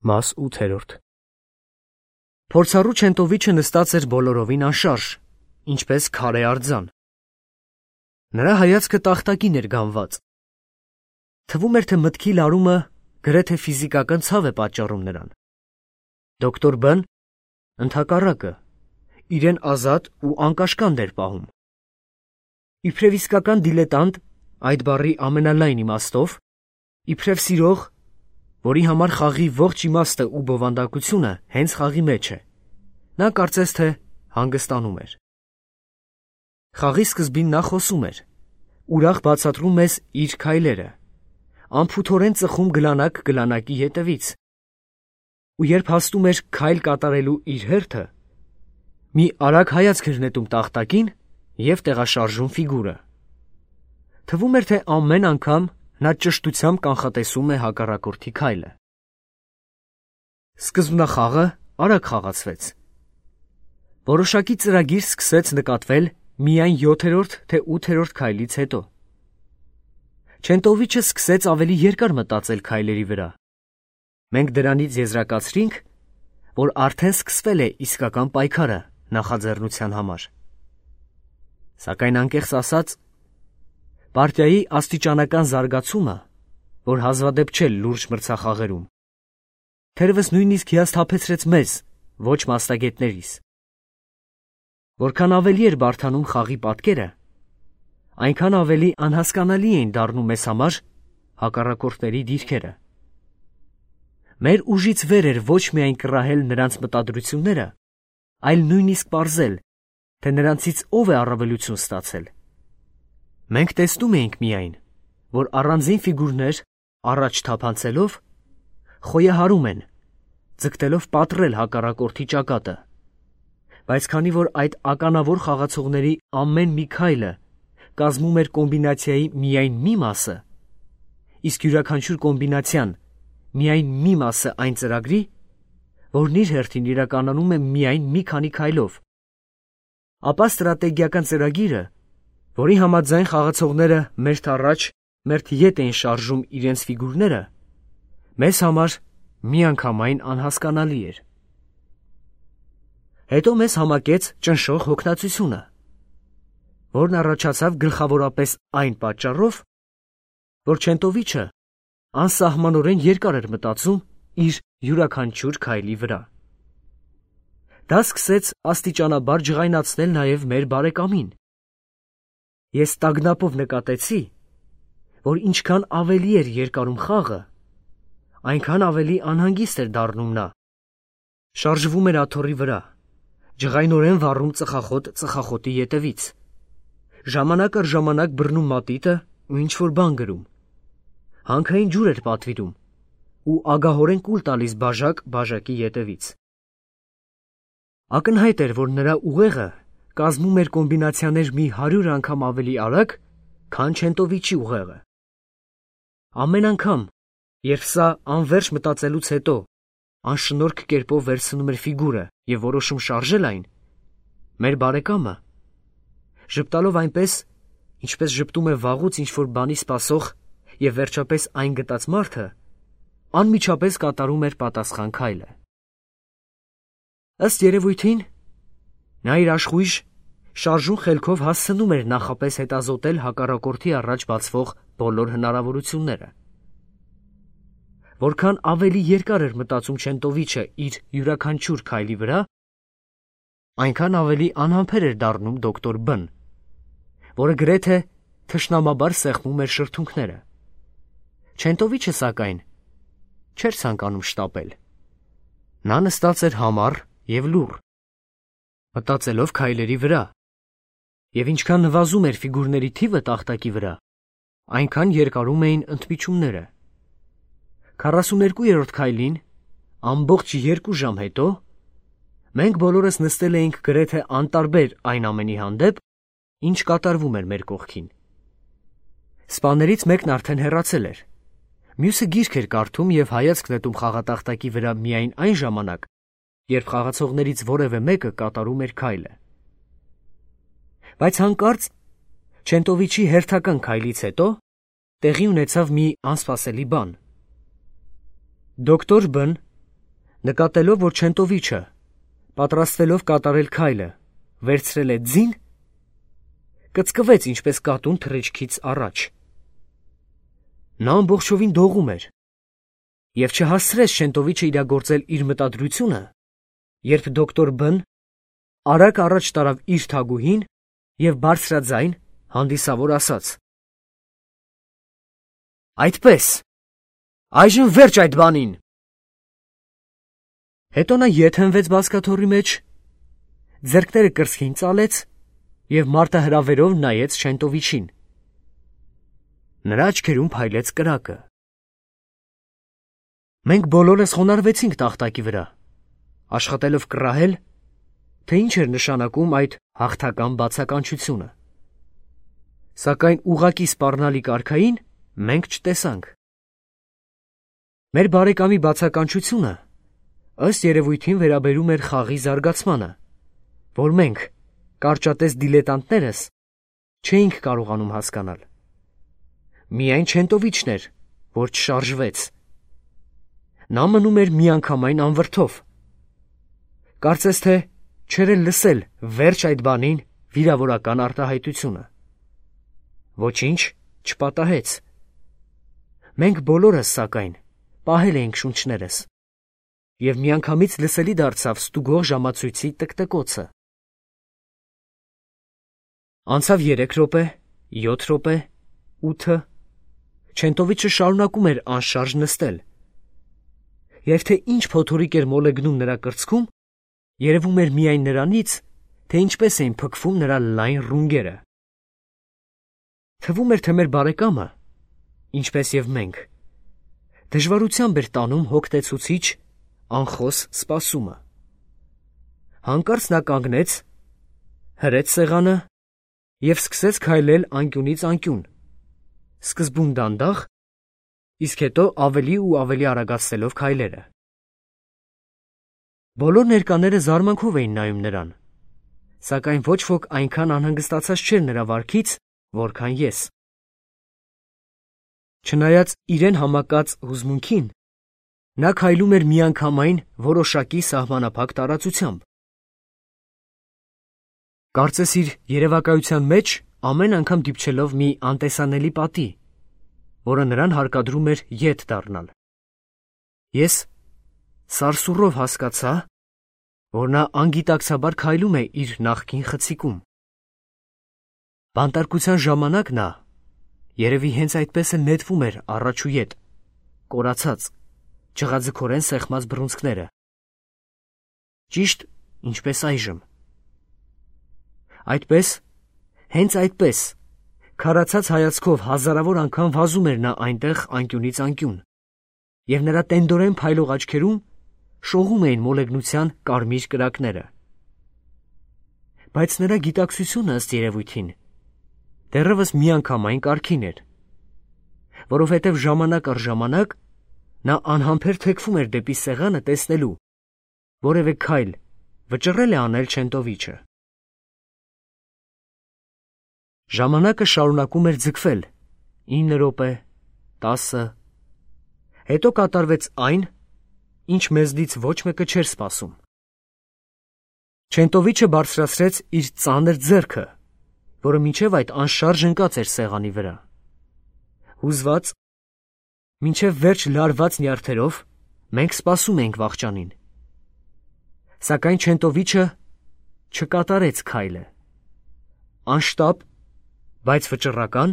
Մաս 8։ Փորձառու Չենտովիչը նստած էր բոլորովին անշարժ, ինչպես քարե արձան։ Նրա հայացքը տախտակին էր գանված։ Թվում էր, թե մտքի լարումը գրեթե ֆիզիկական ցավ է պատճառում նրան։ Դոկտոր Բ-ն ընդհակառակը իրեն ազատ ու անկաշկանդ էր պահում։ Իբրև իսկական դիլետանտ, այդ բառի ամենալայն իմաստով, իբրև սիրող, որի համար խաղի ողջ իմաստը ու բովանդակությունը հենց խաղի մեջ է, նա կարծես թե հանգստանում էր։ Խաղի սկզբին նա խոսում էր, ուրախ բացատրում մեզ իր քայլերը, անփութորեն ծխում գլանակ գլանակի ետևից, ու երբ հասնում էր քայլ կատարելու իր հերթը, մի արագ հայացք էր նետում տախտակին և տեղաշարժում ֆիգուրը։ Թվում էր, թե ամեն անգամ նա ճշտությամբ կանխատեսում է հակառակորդի քայլը։ Սկզբնախաղը արագ խաղացվեց։ Որոշակի ծրագիր սկսեց նկատվել միայն 7-րդ թե 8-րդ քայլից հետո։ Չենտովիչը սկսեց ավելի երկար մտածել քայլերի վրա։ Մենք դրանից եզրակացրինք, որ արդեն սկսվել է իսկական պայքարը նախաձեռնության համար։ Սակայն անկեղծ ասած, պարտիայի աստիճանական զարգացումը, որ հազվադեպ չէ լուրջ մրցախաղերում, թերևս նույնիսկ հիասթափեցրեց մեզ, ոչ մասնագետներիս։ Որքան ավելի էր բարդանում խաղի պատկերը, այնքան ավելի անհասկանալի էին դառնում մեզ համար հակառակորդների դիրքերը։ Մեր ուժից վեր էր ոչ միայն կռահել նրանց մտադրությունները, այլ նույնիսկ պարզել, թե նրանցից ով է առավելություն ստացել։ Մենք տեսնում էինք միայն, որ առանձին ֆիգուրներ առաջ թափանցելով խոյահարում են, ձգտելով պատռել հակառակորդի ճակատը, բայց քանի որ այդ ականավոր խաղացողների ամեն մի քայլը կազմում էր կոմբինացիայի միայն մի մասը, իսկ յուրաքանչյուր կոմբինացիան միայն մի մասը այն ծրագրի, որն իր հերթին իրականում է միայն մի քանի քայլով, ապա ստրատեգիական ծրագիրը, որի համաձայն խաղացողները մերթ առաջ, մերթ ետ էին շարժում իրենց ֆիգուրները, մեզ համար միանգամայն անհասկանալի էր։ Հետո մեզ համակեց ճնշող հոգնածությունը, որն առաջացավ գլխավորապես այն պատճառով, որ Չենտովիչը անսահմանորեն երկար էր մտածում իր յուրաքանչյուր քայլի վրա։ Դա սկսեց աստիճանաբար ջղայնացնել նաև մեր բարեկամին։ Ես տագնապով նկատեցի, որ ինչքան ավելի էր երկարում խաղը, այնքան ավելի անհանգիստ էր դառնում նա։ Շարժվում էր աթոռի վրա, ջղայնորեն վառում ծխախոտի ետևից, ժամանակ առ ժամանակ բռնում մատիտը ու ինչ-որ բան գրում, հանքային ջուր էր պատվիրում ու ագահորեն կուլ տալիս բաժակ բաժակի ետևից։ Ակնհայտ էր, որ նրա ուղեղը կազմում էր կոմբինացիաներ մի 100 անգամ ավելի արագ, քան Չենտովիչի ուղեղը։ Ամեն անգամ, երբ սա անվերջ մտածելուց հետո անշնորհք կերպով վերցնում էր ֆիգուրը և որոշում շարժել այն, մեր բարեկամը, ժպտալով այնպես, ինչպես ժպտում է վաղուց ինչ-որ բանի սպասող և վերջապես այն գտած մարդը, անմիջապես կատարում էր պատասխան քայլը։ Ըստ երևույթին, նա իր աշխույժ, շարժուն խելքով հասցնում էր նախապես հետազոտել հակառակորդի առաջ բացվող բոլոր հնարավորությունները։ Որքան ավելի երկար էր մտածում Չենտովիչը իր յուրաքանչյուր քայլի վրա, այնքան ավելի անհամբեր էր դառնում դոկտոր Բ-ն, որը գրեթե թշնամաբար սեղմում էր շրթունքները։ Չենտովիչը, սակայն, չէր ցանկանում շտապել։ Նա նստած էր համառ և լուռ, մտածելով քայլերի վրա, և ինչքան նվազում էր ֆիգուրների թիվը տախտակի վրա, այնքան երկարում էին ընդմիջումները։ 42-րդ քայլին, ամբողջ 2 ժամ հետո, մենք բոլորս նստել էինք գրեթե անտարբեր այն ամենի հանդեպ, ինչ կատարվում էր մեր կողքին։ Սպաներից մեկն արդեն հեռացել էր, մյուսը գիրք էր կարդում և հայացք նետում խաղատախտակի վրա միայն այն ժամանակ, երբ խաղացողներից որևէ մեկը կատարում էր քայլը։ Բայց հանկարծ Չենտովիչի հերթական քայլից հետո տեղի ունեցավ մի անսպասելի բան։ Դոկտոր Բ-ն Նկատելով, որ Չենտովիչը, պատրաստվելով կատարել քայլը, վերցրել է ձին, կծկվեց ինչպես կատուն թռիչքից առաջ։ Նա ամբողջովին դողում էր և չհասցրեց Չենտովիչը իրագործել իր մտադրությունը, երբ դոկտոր B-ն արագ առաջ տարավ իր թագուհին և բարձրաձայն հանդիսավոր ասաց. «Այդպես, այժմ վերջ այդ բանին»։ Հետո նա ետ հենվեց բազկաթոռի մեջ, ձեռքները կրծքին ծալեց և մարտահրավերով նայեց Չենտովիչին։ Նրա աչքերում փայլեց կրակը։ Մենք բոլորս խոնարհվեցինք տախտակի վրա, աշխատելով կռահել, թե ինչ էր նշանակում այդ հաղթական բացականչությունը։ Սակայն ուղղակի սպառնալիք արքային մենք չտեսանք։ Մեր բարեկամի բացականչությունը ըստ երևույթին վերաբերում էր խաղի զարգացմանը, որ մենք, կարճատես դիլետանտներս, չէինք կարողանում հասկանալ։ Միայն Չենտովիչն էր, որ չշարժվեց։ Նա մնում էր միանգամայն անվրդով։ Կարծես թե չէր էլ լսել վերջ այդ բանին վիրավորական արտահայտությունը։ Ոչինչ չպատահեց։ Մենք բոլորս, սակայն, պահել էինք շունչներս, և միանգամից լսելի դարձավ ստուգող ժամացույցի տկտկոցը։ Անցավ 3 րոպե, 7 րոպե, 8-ը, Չենտովիչը շարունակում էր անշարժ նստել, և թե ինչ փոթորիկ էր մոլեգնում նրա կրծքում, երևում էր միայն նրանից, թե ինչպես էին փքվում նրա լայն ռունգերը։ Թվում էր, թե մեր բարեկամը, ինչպես և մենք, դժվարությամբ էր տանում հոգնեցուցիչ, անխոս սպասումը։ Հանկարծ նա կանգնեց, հրեց սեղանը և սկսեց քայլել անկյունից անկյուն, սկզբում դանդաղ, իսկ հետո ավելի ու ավելի արագացնելով քայլերը։ Բոլոր ներկաները զարմանքով էին նայում նրան, սակայն ոչ ոք այնքան անհանգստացած չէր նրա վարքից, որքան ես։ Չնայած իրեն համակած հուզմունքին, նա քայլում էր միանգամայն որոշակի սահմանափակ տարածությամբ։ Կարծես իր երևակայության մեջ ամեն անգամ դիպչելով մի անտեսանելի պատի, որը նրան հարկադրում էր ետ դառնալ։ Ես սարսուռով հասկացա, որ նա անգիտակցաբար քայլում է իր նախկին խցիկում։ Բանտարկության ժամանակ նա երևի հենց այդպես էլ նետվում էր առաջ ու ետ, կորացած, ջղաձգորեն սեղմած բռունցքները։ Ճիշտ ինչպես այժմ։ Այդպես, հենց այդպես, քարացած հայացքով հազարավոր անգամ վազում էր նա այնտեղ անկյունից անկյուն, և նրա տենդորեն փայլող աչքերում շողում էին մոլեգնության կարմիր կրակները։ Բայց նրա գիտակցությունը, ըստ երևույթին, դեռևս միանգամայն կարգին էր, որովհետև ժամանակ առ ժամանակ նա անհամբեր թեքվում էր դեպի սեղանը տեսնելու, որևէ քայլ վճռել է անել Չենտովիչը։ Ժամանակը շարունակում էր ձգվել 9 րոպե, 10, հետո կատարվեց այն, ինչ մեզնից ոչ մեկը չէր սպասում։ Չենտովիչը բարձրացրեց իր ծանր ձեռքը, որը մինչև այդ անշարժ ընկած էր սեղանի վրա։ Հուզված, մինչև վերջ լարված նյարդերով մենք սպասում էինք վախճանին։ Սակայն Չենտովիչը չկատարեց քայլը։ Անշտապ, բայց վճռական,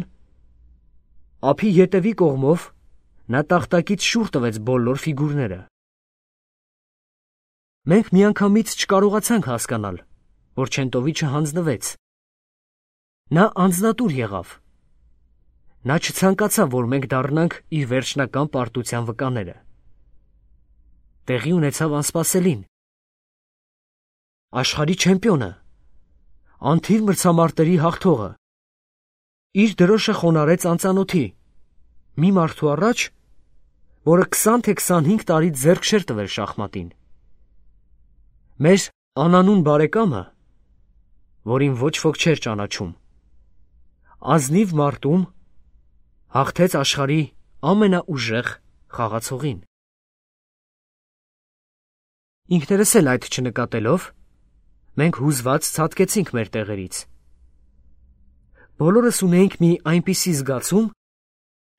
ափի ետևի կողմով նա տախտակից շուռ տվեց բոլոր ֆիգուրները։ Մենք միանգամից չկարողացանք հասկանալ, որ Չենտովիչը հանձնվեց։ Նա անձնատուր եղավ։ Նա չցանկացավ, որ մենք դառնանք իր վերջնական պարտության վկաները։ Տեղի ունեցավ անսպասելին։ Աշխարհի չեմպիոնը, անթիվ մրցամարտերի հաղթողը, իր դրոշը խոնարհեց անծանոթի, մի մարդու առաջ, որը 20 թե 25 տարի ձեռք չէր տվել շախմատին։ Մեր անանուն բարեկամը, որին ոչ ոք չէր ճանաչում, ազնիվ մարտում հաղթեց աշխարհի ամենաուժեղ խաղացողին։ Ինքներս էլ այդ չնկատելով, մենք հուզված ցատկեցինք մեր տեղերից։ Բոլորս ունեինք մի այնպիսի զգացում,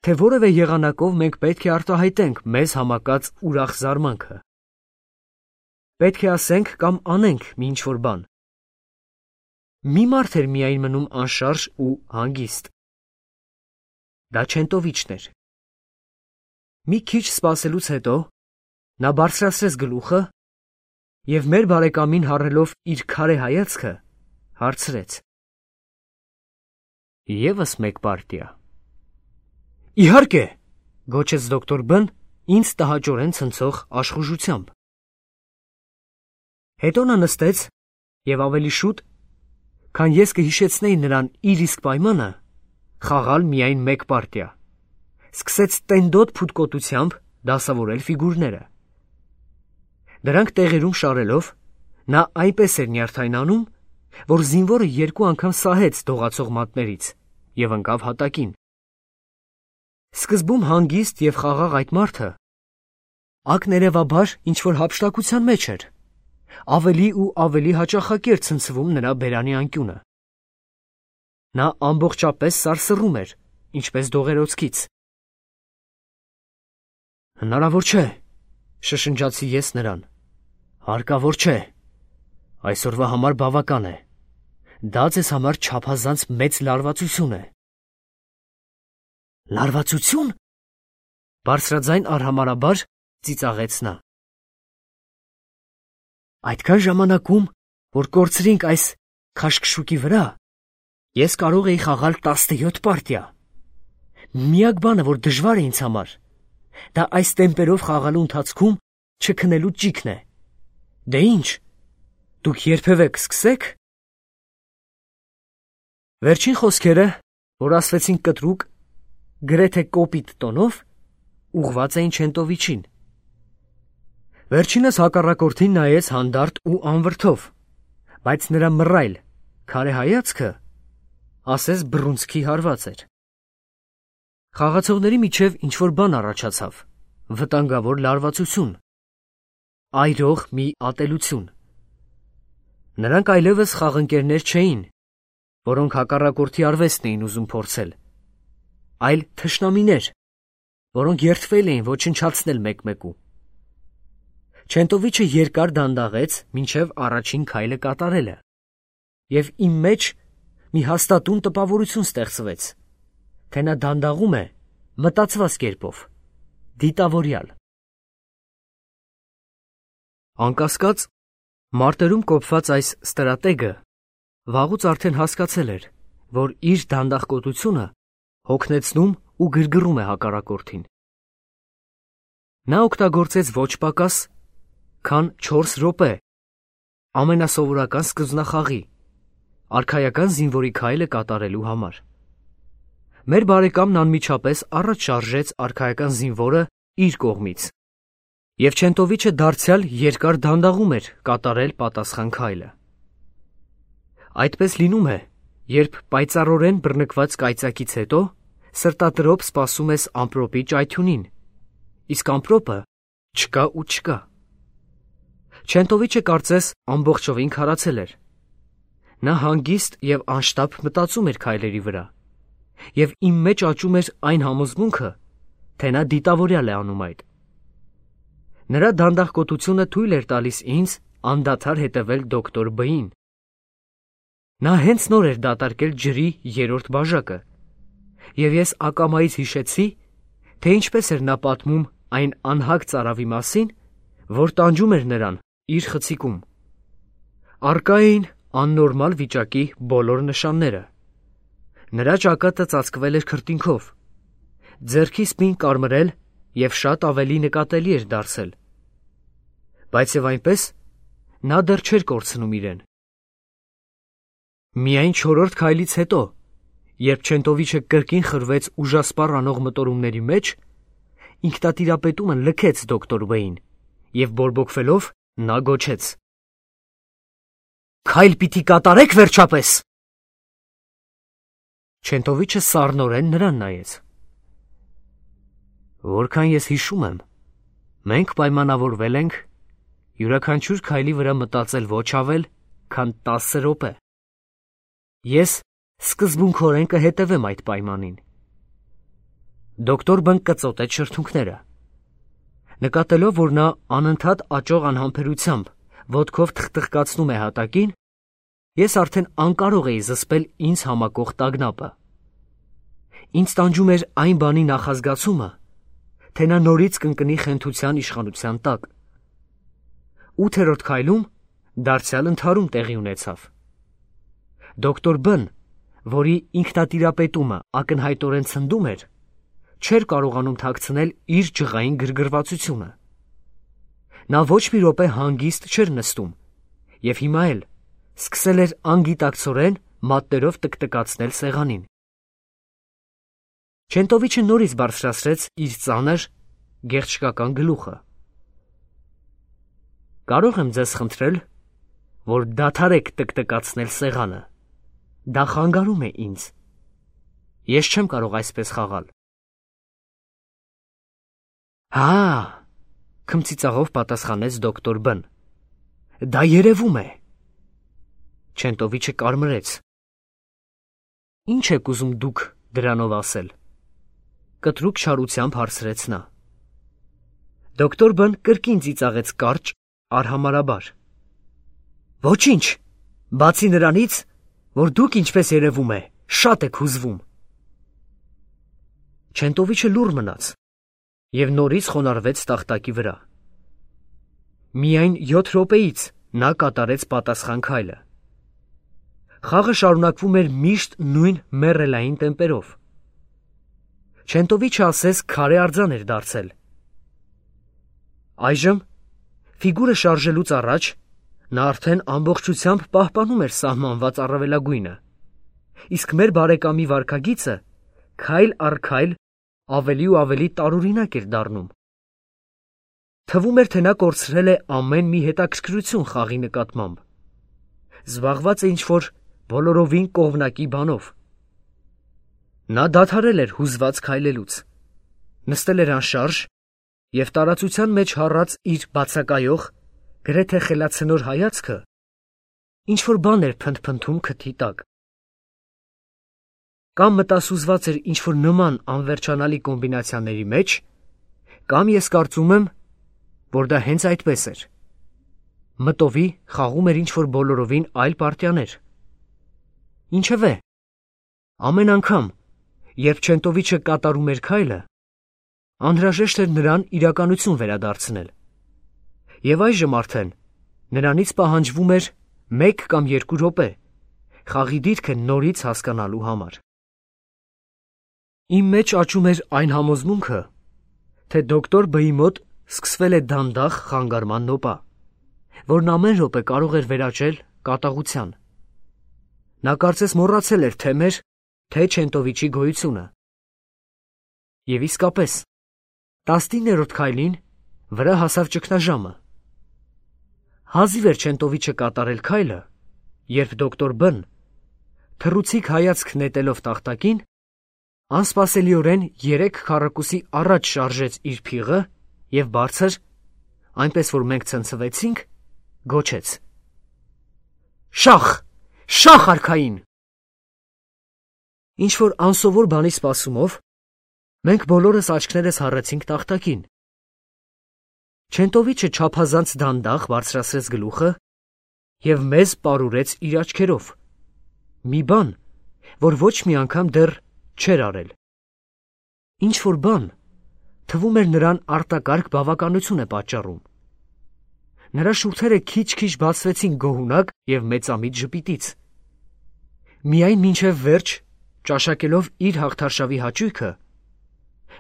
թե որևէ եղանակով մենք պետք է արտահայտենք մեզ համակած ուրախ զարմանքը։ Պետք է ասենք կամ անենք մի ինչ-որ բան։ Մի մարդ էր միայն մնում անշարժ ու հանգիստ։ Դա Չենտովիչն էր։ Մի քիչ սպասելուց հետո նա բարձրացրեց գլուխը և մեր բարեկամին հառելով իր քարե հայացքը հարցրեց. «Եվս մեկ պարտիա»։ «Իհարկե», գոչեց դոկտոր Բ-ն ինձ տհաճորեն ցնցող աշխուժությամբ։ Հետո նա նստեց և ավելի շուտ, քան ես կհիշեցնեի նրան իր իսկ պայմանը, խաղալ միայն մեկ պարտիա, սկսեց տենդոտ փութկոտությամբ դասավորել ֆիգուրները։ Դրանք տեղերում շարելով, նա այնպես էր նյարդայնանում, որ զինվորը 2 անգամ սահեց դողացող մատներից և ընկավ հատակին։ Սկզբում հանգիստ և խաղաղ այդ մարդը ակներևաբար ինչ-որ հափշտակության մեջ էր, ավելի ու ավելի հաճախակի էր ցնցվում նրա բերանի անկյունը։ Նա ամբողջապես սարսռում էր, ինչպես դողերոցքից։ «Հնարավոր չէ», շշնջացի ես նրան, «հարկավոր չէ, այսօրվա համար բավական է, դա ձեզ համար չափազանց մեծ լարվածություն է»։ «Լարվածությո՞ւն», բարձրաձայն արհամարհաբար ծիծաղեց նա։ «Այդքան ժամանակում, որ կորցրինք այս քաշքշուկի վրա, ես կարող էի խաղալ 17 պարտիա։ Միակ բանը, որ դժվար է ինձ համար, դա այս տեմպերով խաղալու ընթացքում չքնելու ճիգն է։ Դե ինչ, դուք երբևէ կսկսե՞ք»։ Վերջին խոսքերը, որ ասվեցին կտրուկ, գրեթե կոպիտ տոնով, ուղղված էին Չենտովիչին։ Վերջինս հակառակորդին նայեց հանդարտ ու անվրդով, բայց նրա մռայլ, քարե հայացքը, ասես բռունցքի հարված էր։ Խաղացողների միջև ինչ-որ բան առաջացավ, վտանգավոր լարվածություն, այրող մի ատելություն։ Նրանք այլևս խաղընկերներ չէին, որոնք հակառակորդի արվեստն էին ուզում փորձել, այլ թշնամիներ, որոնք երդվել էին ոչնչացնել մեկ-մեկու։ Չենտովիչը երկար դանդաղեց մինչև առաջին քայլը կատարելը, և իմ մեջ մի հաստատուն տպավորություն ստեղծվեց, թե նա դանդաղում է մտածված կերպով, դիտավորյալ։ Անկասկած, մարտերում կոփված այս ստրատեգը վաղուց արդեն հասկացել էր, որ իր դանդաղկոտությունը հոգնեցնում ու գրգռում է հակառակորդին։ Նա օգտագործեց ոչ պակաս, քան 4 րոպե ամենասովորական սկզբնախաղի, արքայական զինվորի քայլը կատարելու համար։ Մեր բարեկամն անմիջապես առաջ շարժեց արքայական զինվորը իր կողմից, և Չենտովիչը դարձյալ երկար դանդաղում էր կատարել պատասխան քայլը։ Այդպես լինում է, երբ պայծառորեն բռնկված կայծակից հետո սրտատրոփ սպասում ես ամպրոպի ճայթյունին, իսկ ամպրոպը չկա ու չկա։ Չենտովիչը կարծես ամբողջովին քարացել էր։ Նա հանգիստ և անշտապ մտածում էր քայլերի վրա, և իմ մեջ աճում էր այն համոզմունքը, թե նա դիտավորյալ է անում այդ։ Նրա դանդաղկոտությունը թույլ էր տալիս ինձ անդադար հետևել դոկտոր Բ-ին։ Նա հենց նոր էր դատարկել ջրի 3-րդ բաժակը, և ես ակամայից հիշեցի, թե ինչպես էր նա պատմում այն անհագ ծարավի մասին, որ տանջում էր նրան իր խցիկում։ Առկա էին աննորմալ վիճակի բոլոր նշանները։ Նրա ճակատը ծածկվել էր քրտինքով, ձեռքի սպին կարմրել և շատ ավելի նկատելի էր դարձել, բայց և այնպես նա դեռ չէր կորցնում իրեն։ Միայն 4-րդ քայլից հետո, երբ Չենտովիչը կրկին խրվեց ուժասպառ անող մտորումների մեջ, ինքնատիրապետումը լքեց դոկտոր Բ-ին, և բորբոքվելով նա գոչեց. «Քայլ պիտի կատարեք վերջապես»։ Չենտովիչը սառնորեն նրան նայեց։ «Որքան ես հիշում եմ, մենք պայմանավորվել ենք յուրաքանչյուր քայլի վրա մտածել ոչ ավել, քան 10 րոպե։ Ես սկզբունքորեն կհետևեմ այդ պայմանին։ Դոկտոր Բն կծոտեց շրթունքները։ Նկատելով, որ նա անընդհատ աճող անհամբերությամբ ոտքով թխթխկացնում է հատակին, ես արդեն անկարող էի զսպել ինձ համակող տագնապը։ Ինձ տանջում էր այն բանի նախազգացումը, թե նա նորից կընկնի խենթության իշխանության տակ։ 8-րդ քայլում դարձյալ ընդհարում տեղի ունեցավ։ Դոկտոր Բն, որի ինքնատիրապետումը ակնհայտորեն ցնդում էր, չէր կարողանում թաքցնել իր ջղային գրգռվածությունը։ Նա ոչ մի րոպե հանգիստ չէր նստում և հիմա էլ սկսել էր անգիտակցորեն մատներով տկտկացնել սեղանին։ Չենտովիչը նորից բարձրացրեց իր ծանր, գեղչկական գլուխը։ Կարող եմ ձեզ խնդրել, որ դադարեք տկտկացնել սեղանը։ Դա խանգարում է ինձ։ Ես չեմ կարող այսպես խաղալ։ Հա, քմծիծաղով պատասխանեց դոկտոր Բն։ Դա երևում է։ Չենտովիչը կարմրեց։ Ինչ եք ուզում դուք դրանով ասել։ Կտրուկ չարությամբ հարցրեց նա։ Դոկտոր Բն կրկին ծիծաղեց կարճ, արհամարհաբար։ Ոչինչ, բացի նրանից, որ դուք ինչպես երևում է, շատ եք հուզվում։ Չենտովիչը լուռ մնաց և նորից խոնարհվեց տախտակի վրա։ Միայն 7 րոպեից նա կատարեց պատասխան քայլը։ Խաղը շարունակվում էր միշտ նույն մեռելային տեմպերով։ Չենտովիչը ասես քարե արձան էր դարձել։ Այժմ, ֆիգուրը շարժելուց առաջ, նա արդեն ամբողջությամբ պահպանում էր սահմանված առավելագույնը, իսկ մեր բարեկամի վարքագիծը քայլ առ քայլ ավելի ու ավելի տարօրինակ էր դառնում։ Թվում էր, թե նա կորցրել է ամեն մի հետաքրքրություն խաղի նկատմամբ։ Զբաղված է ինչ-որ բոլորովին կողմնակի բանով։ Նա դադարել էր հուզված քայլելուց, նստել էր անշարժ և տարածության մեջ հառած իր բացակայող, գրեթե խելացնոր հայացքը ինչ-որ բան էր փնթփնթում քթի տակ։ Կամ մտասուզված էր ինչ-որ նման անվերջանալի կոմբինացիաների մեջ, կամ ես կարծում եմ, որ դա հենց այդպես էր։ Մտովի խաղում էր ինչ-որ բոլորովին այլ պարտիաներ։ Ինչևէ, ամեն անգամ, երբ Չենտովիչը կատարում էր քայլը, անհրաժեշտ էր նրան իրականություն վերադարձնել։ Եվ այժմ արդեն նրանից պահանջվում էր 1 կամ 2 րոպե խաղի դիրքը նորից հասկանալու համար։ Իմ մեջ աճում էր այն համոզմունքը, թե դոկտոր Բ-ի մոտ սկսվել է դանդաղ խանգարման նոպա, որն ամեն րոպե կարող էր վերաճել կատաղության։ Նա կարծես մոռացել էր թե մեր, թե Չենտովիչի գոյությունը։ Եվ իսկապես, 19-րդ քայլին վրա հասավ ճգնաժամը։ Հազիվ էր Չենտովիչը կատարել քայլը, երբ դոկտոր Բ-ն, թռուցիկ հայացք նետելով տախտակին, անսպասելիորեն 3 քառակուսի առաջ շարժեց իր փիղը և բարձր, այնպես որ մենք ցնցվեցինք, գոչեց. Շախ, շախ արքային։ Ինչ-որ անսովոր բանի սպասումով, մենք բոլորս աչքներս հառեցինք տախտակին։ Չենտովիչը չափազանց դանդաղ բարձրացրեց գլուխը և մեզ պարուրեց իր աչքերով, մի բան, որ ոչ մի անգամ դեռ չէր արել։ Ինչ-որ բան, թվում էր նրան արտակարգ բավականություն է պատճառում։ Նրա շուրթերը քիչ-քիչ բացվեցին գոհունակ և մեծամիտ ժպիտից։ Միայն մինչև վերջ, ճաշակելով իր հաղթարշավի հաճույքը,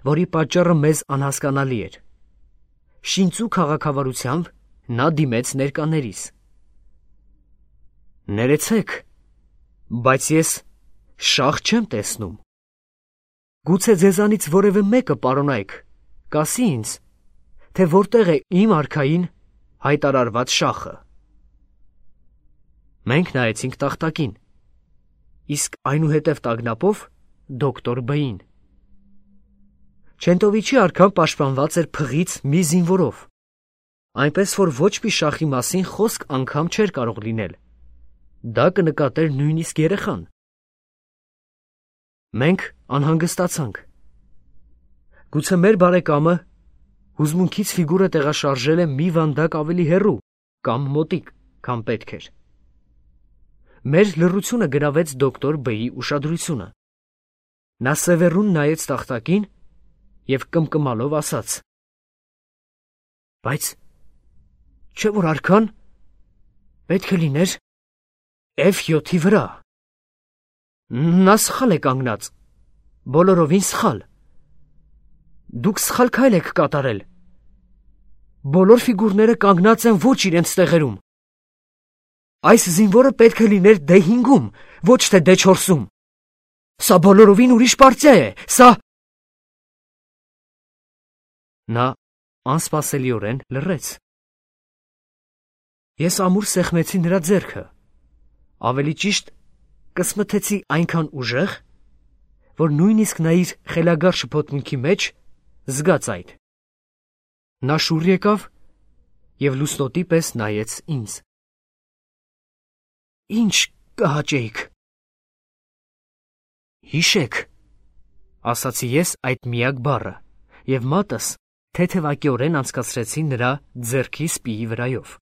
որի պատճառը մեզ անհասկանալի էր, շինծու քաղաքավարությամբ նա դիմեց ներկաներիս. Ներեցեք, բայց ես շախ չեմ տեսնում։ Գուցե ձեզանից որևէ մեկը, պարոնայք, կասի ինձ, թե որտեղ է իմ արքային հայտարարված շախը։ Մենք նայեցինք տախտակին, իսկ այնուհետև տագնապով դոկտոր Բ-ին։ Չենտովիչի արքան պաշտպանված էր փղից մի զինվորով, այնպես որ ոչ մի շախի մասին խոսք անգամ չէր կարող լինել. դա կնկատեր նույնիսկ երեխան։ Մենք անհանգստացանք։ Գուցե մեր բարեկամը հուզմունքից ֆիգուրը տեղաշարժել է մի վանդակ ավելի հեռու կամ մոտիկ, քան պետք էր։ Մեր լռությունը գրավեց դոկտոր B-ի ուշադրությունը։ Նա սևեռուն նայեց տախտակին և կմկմալով ասաց. բայց չէ՞ որ արքան պետք է լիներ F7-ի վրա։ Նա սխալ է կանգնած, բոլորովին սխալ։ Դուք սխալ քայլ եք կատարել։ Բոլոր ֆիգուրները կանգնած են ոչ իրենց տեղերում։ Այս զինվորը պետք է լիներ D5-ում, ոչ թե D4-ում։ Սա բոլորովին ուրիշ պարտիա է, սա… Նա անսպասելիորեն լռեց։ Ես ամուր սեղմեցի նրա ձեռքը, ավելի ճիշտ կսմթեցի այնքան ուժեղ, որ նույնիսկ նա իր խելագար շփոթմունքի մեջ զգաց այդ։ Նա շուռ եկավ և լուսնոտի պես նայեց ինձ։ Ինչ կհաճեիք։ Հիշեք, ասացի ես այդ միակ բառը, և մատս թեթևակիորեն անցկացրեցի նրա ձեռքի սպիի վրայով։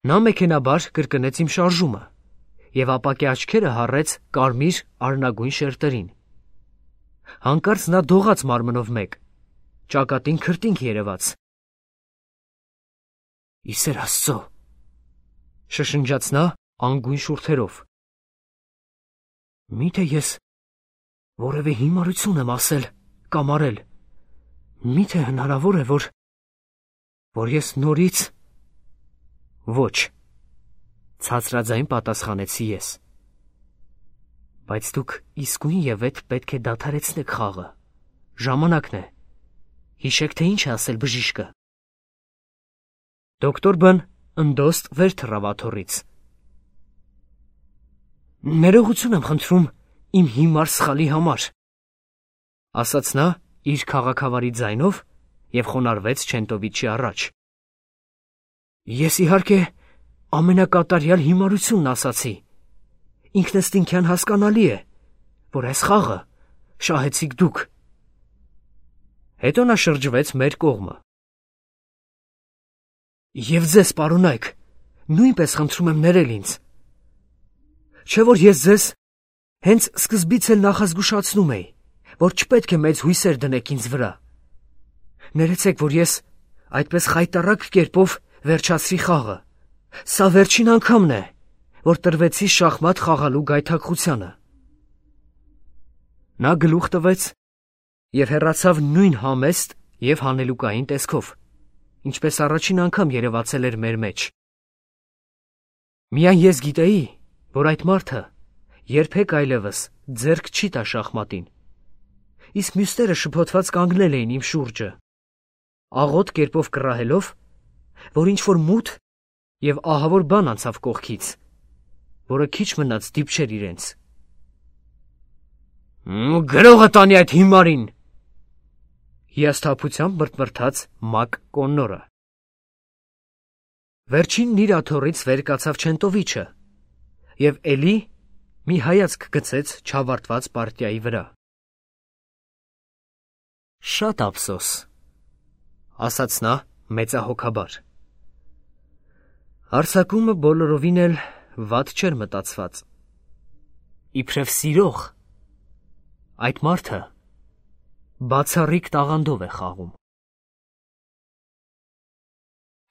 Նա մեքենաբար կրկնեց իմ շարժումը և ապակե աչքերը հառեց կարմիր արնագույն շերտերին։ Հանկարծ նա դողաց մարմնով մեկ, ճակատին քրտինք երևաց։ «Ի սեր Աստծո», շշնջաց նա անգույն շուրթերով։ Միթե ես որևէ հիմարություն եմ ասել կամ արել։ Միթե հնարավոր է, որ ես նորից… Ոչ, ցածրաձայն պատասխանեցի ես։ Բայց դուք իսկույնևեթ պետք է դադարեցնեք խաղը։ Ժամանակն է։ Հիշեք, թե ինչ է ասել բժիշկը։ Դոկտոր B-ն ընդոստ վեր թռավ աթոռից։ Ներողություն եմ խնդրում իմ հիմար սխալի համար, ասաց նա իր քաղաքավարի ձայնով և խոնարհվեց Չենտովիչի առաջ։ Ես իհարկե ամենակատարյալ հիմարությունն ասացի։ Ինքնըստինքյան հասկանալի է, որ այս խաղը շահեցիք դուք։ Հետո նա շրջվեց մեր կողմը։ Եվ ձեզ, պարոնայք, նույնպես խնդրում եմ ներել ինձ։ Չէ՞ որ ես ձեզ հենց սկզբից էլ նախազգուշացնում էի, որ չպետք է մեծ հույսեր դնեք ինձ վրա։ Ներեցեք, որ ես այդպես խայտառակ կերպով վերջացրի խաղը։ Սա վերջին անգամն է, որ տրվեցի շախմատ խաղալու գայթակղությանը։ Նա գլուխ տվեց և հեռացավ նույն համեստ և հանելուկային տեսքով, ինչպես առաջին անգամ երևացել էր մեր մեջ։ Միայն ես գիտեի, որ այդ մարդը երբեք այլևս ձեռք չի տա շախմատին, իսկ մյուսները շփոթված կանգնել էին իմ շուրջը, աղոտ կերպով կռահելով, որ ինչ-որ մութ և ահավոր բան անցավ կողքից, որը քիչ մնաց դիպչեր իրենց։ Գրողը տանի այդ հիմարին, հիասթափությամբ մրթմրթաց Մակ Կոննորը։ Վերջինն իր աթոռից վեր կացավ Չենտովիչը և էլի մի հայացք գցեց չավարտված պարտիայի վրա։ Շատ ափսոս, ասաց նա մեծահոգաբար։ Հարձակումը բոլորովին էլ վատ չէր մտածված։ Իբրև սիրող, այդ մարդը բացառիկ տաղանդով է խաղում։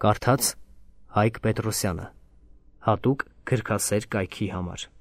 Կարդաց Հայկ Պետրոսյանը, հատուկ գրքասեր կայքի համար։